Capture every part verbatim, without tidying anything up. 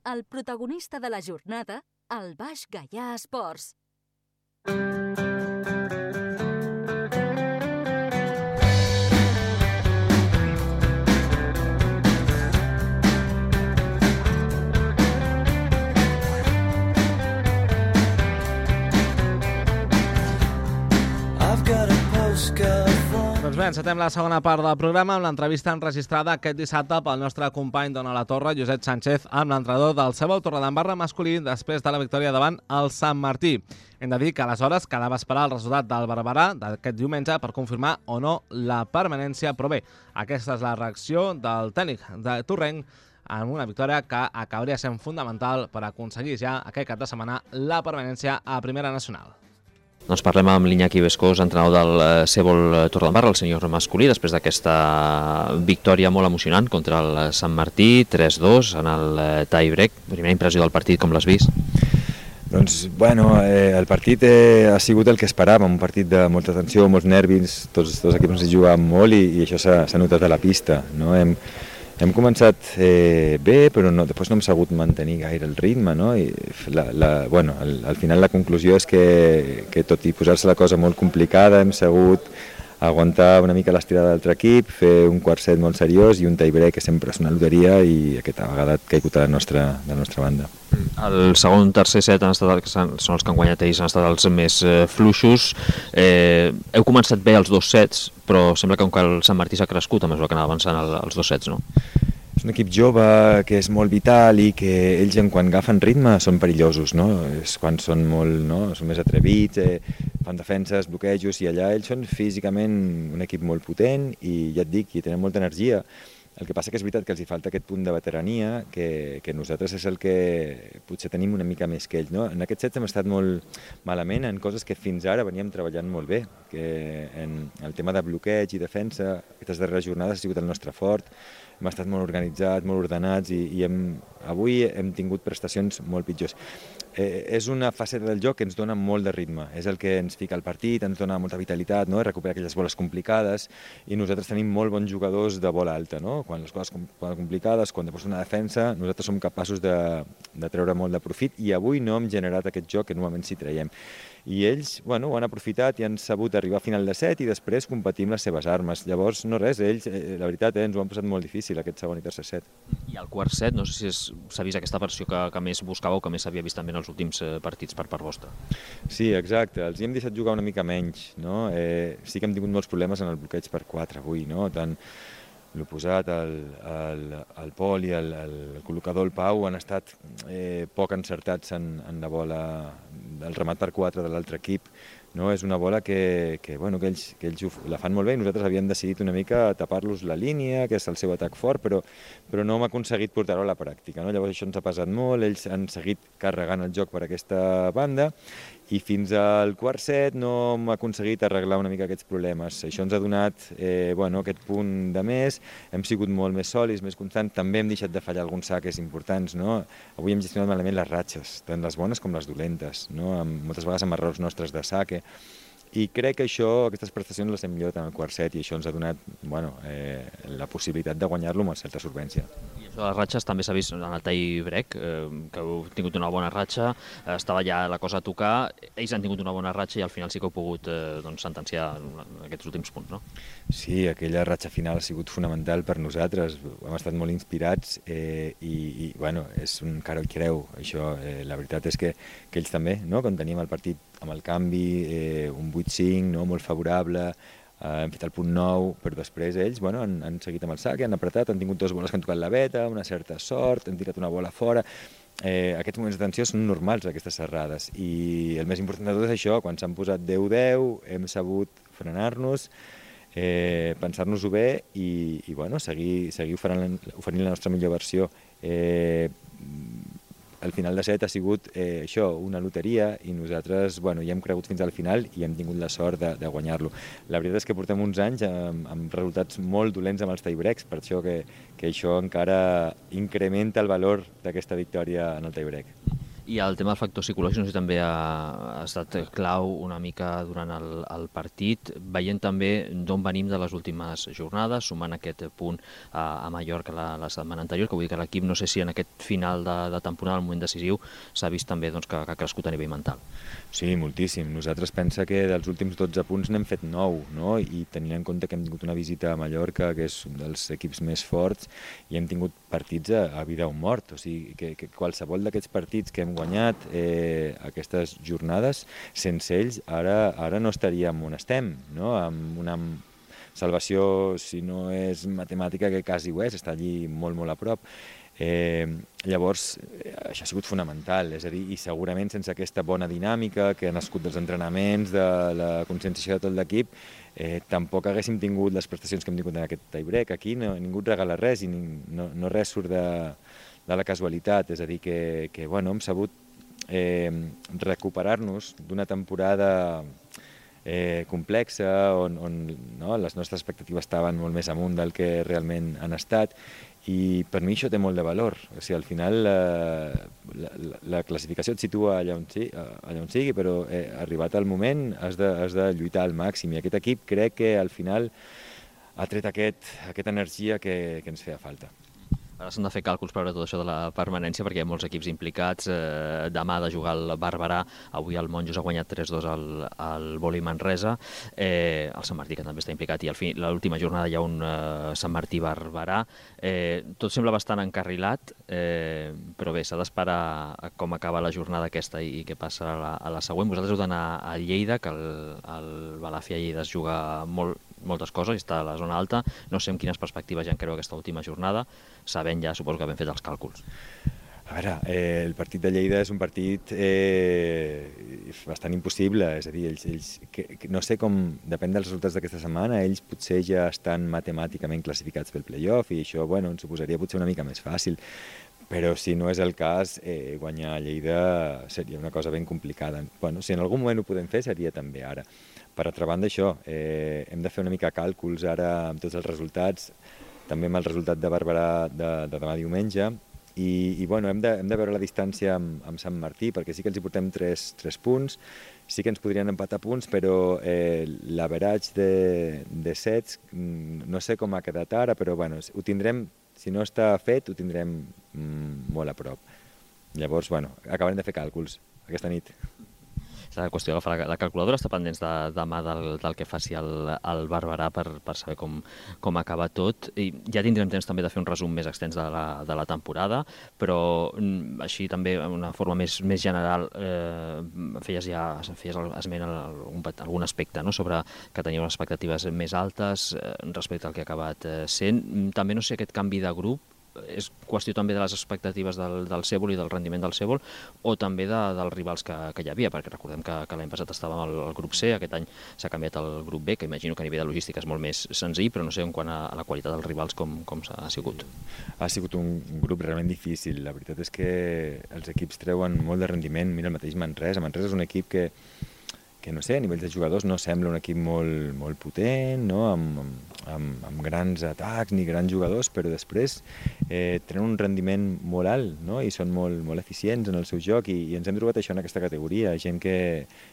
el protagonista de la jornada al Baix Gaià Esports. Doncs bé, encetem la segona part del programa amb l'entrevista enregistrada aquest dissabte pel nostre company d'Ona la Torre, Josep Sánchez, amb l'entrenador del Cebol Torredembarra masculí després de la victòria davant el Sant Martí. Hem de dir que aleshores quedava esperar el resultat del Barberà d'aquest diumenge per confirmar o no la permanència, però bé, aquesta és la reacció del tècnic de Torrenc en una victòria que acabaria sent fundamental per aconseguir ja aquest cap de setmana la permanència a Primera Nacional. Doncs parlem amb l'Iñaki Bescós, entrenador del Cebol Torredembarra, el senyor masculí, després d'aquesta victòria molt emocionant contra el Sant Martí, tres dos en el tie-break. Primera impressió del partit, com l'has vist? Doncs, bueno, eh, el partit eh, ha sigut el que esperàvem, un partit de molta tensió, molts nervis, tots els equips ens hi jugàvem molt i, i això s'ha notat a la pista, no? Hem, Hem començat eh, bé, però no, després no hem sabut mantenir gaire el ritme, no? I la, la, bueno, al, al final la conclusió és que, que tot i posar-se la cosa molt complicada hem sabut aguantar una mica l'estirada de l'altre equip, fer un quart set molt seriós i un tie-break que sempre és una loteria i aquesta vegada ha caigut a la nostra, de la nostra banda. El segon, tercer set han estat, són els que han guanyat ells, han estat els més eh, fluixos. Eh, heu començat bé els dos sets, però sembla que el Sant Martí s'ha crescut a mesura que anava avançant el, els dos sets, no? És un equip jove que és molt vital i que ells, en quan agafen ritme, són perillosos, no? És quan són molt, no? Són més atrevits, eh, fan defenses, bloquejos, i allà ells són físicament un equip molt potent i ja et dic, i tenen molta energia. El que passa que és veritat que els hi falta aquest punt de veterania, que, que nosaltres és el que potser tenim una mica més que ells, no? En aquest set hem estat molt malament en coses que fins ara veníem treballant molt bé, que en el tema de bloqueig i defensa, aquestes darreres jornades ha sigut el nostre fort, hem estat molt organitzats, molt ordenats i, i hem, avui hem tingut prestacions molt pitjors. Eh, és una faceta del joc que ens dona molt de ritme, és el que ens fica al partit, ens dona molta vitalitat, no? Recuperar aquelles boles complicades i nosaltres tenim molt bons jugadors de bola alta, no? Quan les coses són complicades, quan després una defensa, nosaltres som capaços de, de treure molt de profit i avui no hem generat aquest joc que normalment sí traiem. I ells, bueno, ho han aprofitat i han sabut arribar a final de set i després competir amb les seves armes. Llavors, no res, ells, eh, la veritat, eh, ens ho han posat molt difícil aquest segon i tercer set. I el quart set, no sé si s'ha vist aquesta versió que, que més buscàveu, que més s'havia vist també en els últims eh, partits per part vostra. Sí, exacte, els hi hem deixat jugar una mica menys, no? Eh, sí que hem tingut molts problemes en el bloqueig per quatre avui, no? Tant l'oposat, el, el, el Pol i el, el col·locador, el Pau, han estat eh, poc encertats en, en la bola del remat per quatre de l'altre equip. No? És una bola que, que, bueno, que ells, que ells la fan molt bé i nosaltres havíem decidit una mica tapar-los la línia, que és el seu atac fort, però, però no hem aconseguit portar-ho a la pràctica. No? Llavors això ens ha pesat molt, ells han seguit carregant el joc per aquesta banda i fins al quart set no hem aconseguit arreglar una mica aquests problemes. Això ens ha donat eh, bueno, aquest punt de més, hem sigut molt més sòlids, més constants, també hem deixat de fallar alguns saques importants. No? Avui hem gestionat malament les ratxes, tant les bones com les dolentes, no? Amb, moltes vegades amb errors nostres de saque. I crec que això, aquestes prestacions les hem millorat en el quart set i això ens ha donat bueno, eh, la possibilitat de guanyar-lo amb certa solvència. I això de les ratxes també s'ha vist en el tie-break, eh, que heu tingut una bona ratxa, eh, estava ja la cosa a tocar, ells han tingut una bona ratxa i al final sí que heu pogut eh, doncs, sentenciar aquests últims punts, no? Sí, aquella ratxa final ha sigut fonamental per nosaltres, hem estat molt inspirats eh, i, i bueno, és un cara i creu, això. Eh, la veritat és que, que ells també, no? Quan teníem el partit amb el canvi, eh, un vuit cinc, no? Molt favorable, eh, hem fet el punt nou, però després ells bueno, han, han seguit amb el sac, han apretat, han tingut dues boles que han tocat la veta, una certa sort, han tirat una bola fora. Eh, aquests moments de tensió són normals, aquestes serrades, i el més important de tot és això, quan s'han posat deu deu, hem sabut frenar-nos, eh, pensar-nos-ho bé i, i bueno, seguir, seguir oferint, oferint la nostra millor versió. Eh, El final de set ha sigut eh, això, una loteria i nosaltres bueno, hi hem cregut fins al final i hem tingut la sort de, de guanyar-lo. La veritat és que portem uns anys amb, amb resultats molt dolents amb els tie-breaks, per això que, que això encara incrementa el valor d'aquesta victòria en el tie-break. I el tema del factor psicològic no sé si també ha, ha estat clau una mica durant el, el partit, veient també d'on venim de les últimes jornades, sumant aquest punt a, a Mallorca la, la setmana anterior, que vull dir que l'equip no sé si en aquest final de, de temporada, al moment decisiu, s'ha vist també doncs, que, que ha crescut a nivell mental. Sí, moltíssim. Nosaltres pensa que dels últims dotze punts n'hem fet nou, no? I tenint en compte que hem tingut una visita a Mallorca, que és un dels equips més forts, i hem tingut partits a, a vida o mort, o sigui, que, que qualsevol d'aquests partits que hem guanyat eh, aquestes jornades, sense ells ara, ara no estaríem on estem, no? Amb una salvació, si no és matemàtica, que quasi ho és, està allí molt, molt a prop. Eh, llavors, això ha sigut fonamental, és a dir, i segurament sense aquesta bona dinàmica que ha nascut dels entrenaments, de la conscienciació de tot l'equip, eh, tampoc haguéssim tingut les prestacions que hem tingut en aquest tie-break. Aquí no, ningú et regala res i no, no res surt de, de la casualitat, és a dir, que, que bueno, hem sabut eh, recuperar-nos d'una temporada eh, complexa on, on no, les nostres expectatives estaven molt més amunt del que realment han estat, i per mi això té molt de valor. O sigui, al final la, la, la classificació et situa allà on, sí, allà on sigui, però eh, arribat el moment has de, has de lluitar al màxim, i aquest equip crec que al final ha tret aquest, aquesta energia que, que ens feia falta. Ara s'han de fer càlculs per veure tot això de la permanència, perquè hi ha molts equips implicats. Eh, demà ha de jugar el Barberà, avui el Monjos ha guanyat tres dos al, al Voli Manresa, eh, el Sant Martí, que també està implicat, i al fi, l'última jornada hi ha un eh, Sant Martí-Barberà. Eh, tot sembla bastant encarrilat, eh, però bé, s'ha d'esperar a com acaba la jornada aquesta i, i què passa a la, a la següent. Vosaltres heu d'anar a Lleida, que el, el Balàfia Lleida es juga molt, moltes coses, i està a la zona alta. No sé amb quines perspectives ja encareu aquesta última jornada, sabent ja, suposo que ben fet els càlculs. A veure, eh, el partit de Lleida és un partit eh, bastant impossible, és a dir, ells, ells que, que no sé com, depèn dels resultats d'aquesta setmana, ells potser ja estan matemàticament classificats pel play-off, i això, bueno, ens ho posaria potser una mica més fàcil, però si no és el cas, eh, guanyar a Lleida seria una cosa ben complicada. Bueno, si en algun moment ho podem fer, seria també ara. Per altra banda, això, eh, hem de fer una mica càlculs ara amb tots els resultats, també amb el resultat de Barberà de, de demà diumenge, i, i bueno, hem de, hem de veure la distància amb, amb Sant Martí, perquè sí que ens hi portem tres, tres punts, sí que ens podrien empatar punts, però eh, l'averatge de, de sets no sé com ha quedat ara, però bueno, ho tindrem, si no està fet, ho tindrem mm, molt a prop. Llavors, bueno, acabarem de fer càlculs aquesta nit. La qüestió d'agafar la, la calculadora, està pendents de, demà del, del que faci el, el Barberà per, per saber com, com acaba tot. I ja tindrem temps també de fer un resum més extens de la, de la temporada, però així també una forma més, més general, eh, feies ja feies esment a algun, algun aspecte, no? Sobre que teniu unes expectatives més altes eh, respecte al que ha acabat eh, sent. També no sé aquest canvi de grup, és qüestió també de les expectatives del, del Cèbol i del rendiment del Cèbol, o també de, dels rivals que, que hi havia, perquè recordem que, que l'any passat estàvem al, al grup C, aquest any s'ha canviat al grup B, que imagino que a nivell de logística és molt més senzill, però no sé en quant a, a la qualitat dels rivals com, com s'ha sigut. Ha sigut un, un grup realment difícil. La veritat és que els equips treuen molt de rendiment. Mira el mateix Manresa. Manresa és un equip que que no sé, a nivell de jugadors no sembla un equip molt, molt potent, no? amb, amb, amb grans atacs ni grans jugadors, però després eh, tenen un rendiment molt alt, no? I són molt, molt eficients en el seu joc, i, i ens hem trobat això en aquesta categoria, gent que,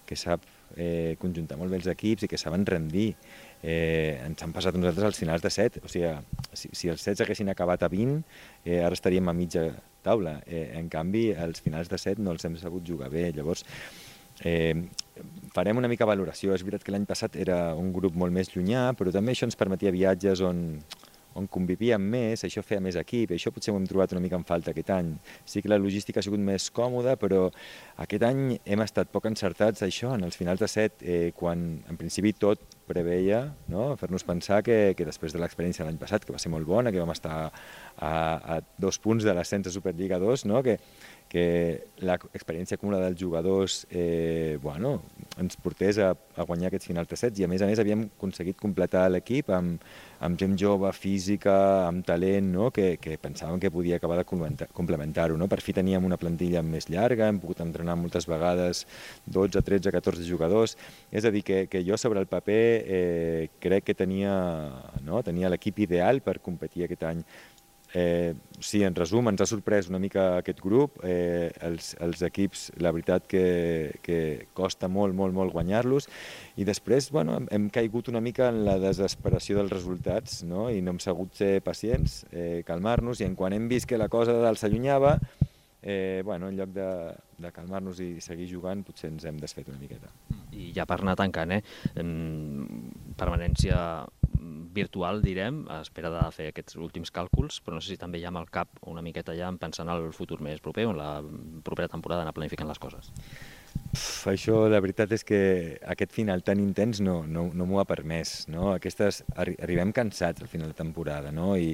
que sap eh, conjuntar molt bé els equips i que saben rendir. Eh, ens han passat nosaltres als finals de set, o sigui, si, si els sets haguessin acabat a vint, eh, ara estaríem a mitja taula, eh, en canvi els finals de set no els hem sabut jugar bé, llavors Eh, farem una mica valoració. És veritat que l'any passat era un grup molt més llunyà, però també això ens permetia viatges on, on convivíem més, això feia més equip, i això potser ho hem trobat una mica en falta aquest any. Sí que la logística ha sigut més còmoda, però aquest any hem estat poc encertats això, en els finals de set, eh, quan en principi tot preveia, no? Fer-nos pensar que, que després de l'experiència de l'any passat, que va ser molt bona, que vam estar a, a dos punts de l'ascens a Superliga dos, no? que que l'experiència acumulada dels jugadors eh, bueno, ens portés a, a guanyar aquests finals de sets, i a més a més havíem aconseguit completar l'equip amb, amb gent jove, física, amb talent, no? que, que pensàvem que podia acabar de complementar-ho. No? Per fi teníem una plantilla més llarga, hem pogut entrenar moltes vegades dotze, tretze, catorze jugadors, és a dir, que, que jo sobre el paper eh, crec que tenia, no? tenia l'equip ideal per competir aquest any. Eh, sí, en resum, ens ha sorprès una mica aquest grup. Eh, els, els equips, la veritat que, que costa molt, molt, molt guanyar-los. I després, bueno, hem, hem caigut una mica en la desesperació dels resultats, no? I no hem sabut ser pacients, eh, calmar-nos, i en quan hem vist que la cosa s'allunyava, eh, bueno, en lloc de, de calmar-nos i seguir jugant, potser ens hem desfet una miqueta. I ja per anar tancant, eh? Permanència virtual, direm, a espera de fer aquests últims càlculs, però no sé si també ja amb el cap una miqueta ja pensant en el futur més proper o en la propera temporada anar planificant les coses. Uf, això, la veritat és que aquest final tan intens no, no, no m'ho ha permès, no? Aquestes, arri arribem cansats al final de temporada, no? I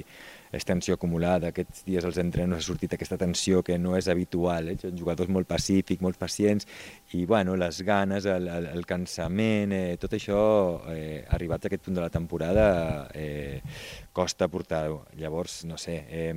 és tensió acumulada, aquests dies als entrenos ha sortit aquesta tensió que no és habitual, eh? Jugadors molt pacífics, molt pacients, i bueno, les ganes, el, el, el cansament, eh, tot això, eh, arribats a aquest punt de la temporada, eh, costa portar-ho. Llavors, no sé, eh,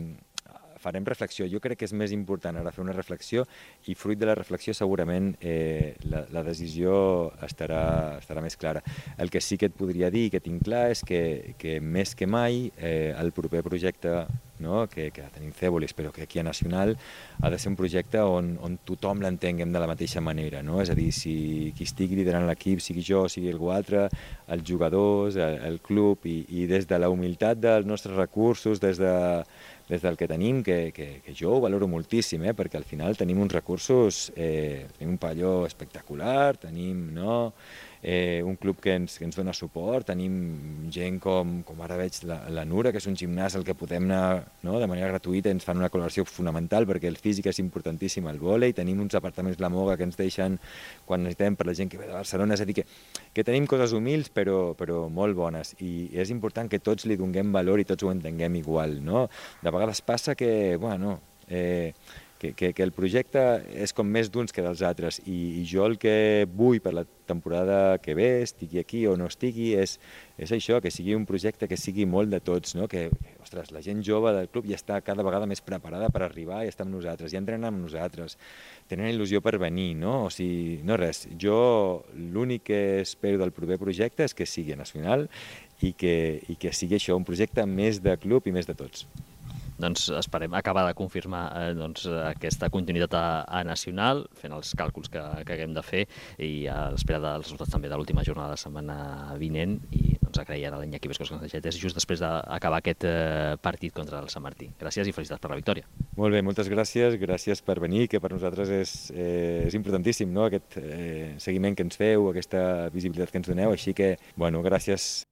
farem reflexió. Jo crec que és més important ara fer una reflexió i fruit de la reflexió segurament eh, la, la decisió estarà, estarà més clara. El que sí que et podria dir, que tinc clar, és que, que més que mai eh, el proper projecte, no, que, que tenim Cèbolis, però que aquí a Nacional ha de ser un projecte on, on tothom l'entenguem de la mateixa manera, no? És a dir, si qui estigui liderant l'equip, sigui jo, sigui algú altre, els jugadors, el, el club, i, i des de la humilitat dels nostres recursos, des de des del que tenim, que, que, que jo ho valoro moltíssim, eh? Perquè al final tenim uns recursos, eh, tenim un pavelló espectacular, tenim, no, eh, un club que ens, que ens dona suport, tenim gent com, com ara veig la, la Nura, que és un gimnàs al que podem anar, no, de manera gratuïta, ens fan una col·laboració fonamental perquè el físic és importantíssim al vòlei, tenim uns apartaments La Moga que ens deixen quan necessitem per la gent que ve de Barcelona, és a dir, que, que tenim coses humils però, però molt bones, i és important que tots li donem valor i tots ho entenguem igual, no? De vegades passa que, bueno, eh, que, que, que el projecte és com més d'uns que dels altres, i, i jo el que vull per la temporada que ve, estigui aquí o no estigui, és, és això, que sigui un projecte que sigui molt de tots, no? Que, que ostres, la gent jove del club ja està cada vegada més preparada per arribar i estar amb nosaltres, ja entrenen amb nosaltres, tenen il·lusió per venir, no? O sigui, no res, jo l'únic que espero del proper projecte és que sigui nacional i que, i que sigui això, un projecte més de club i més de tots. Doncs esperem acabar de confirmar eh, doncs, aquesta continuïtat a, a Nacional, fent els càlculs que, que haguem de fer, i a l'espera dels resultats també de l'última jornada de la setmana vinent, i doncs agrair a l'Iñaki Vescós que ens deixés just després d'acabar aquest eh, partit contra el Sant Martí. Gràcies i felicitats per la victòria. Molt bé, moltes gràcies, gràcies per venir, que per nosaltres és, eh, és importantíssim, no? Aquest eh, seguiment que ens feu, aquesta visibilitat que ens doneu, així que, bueno, gràcies.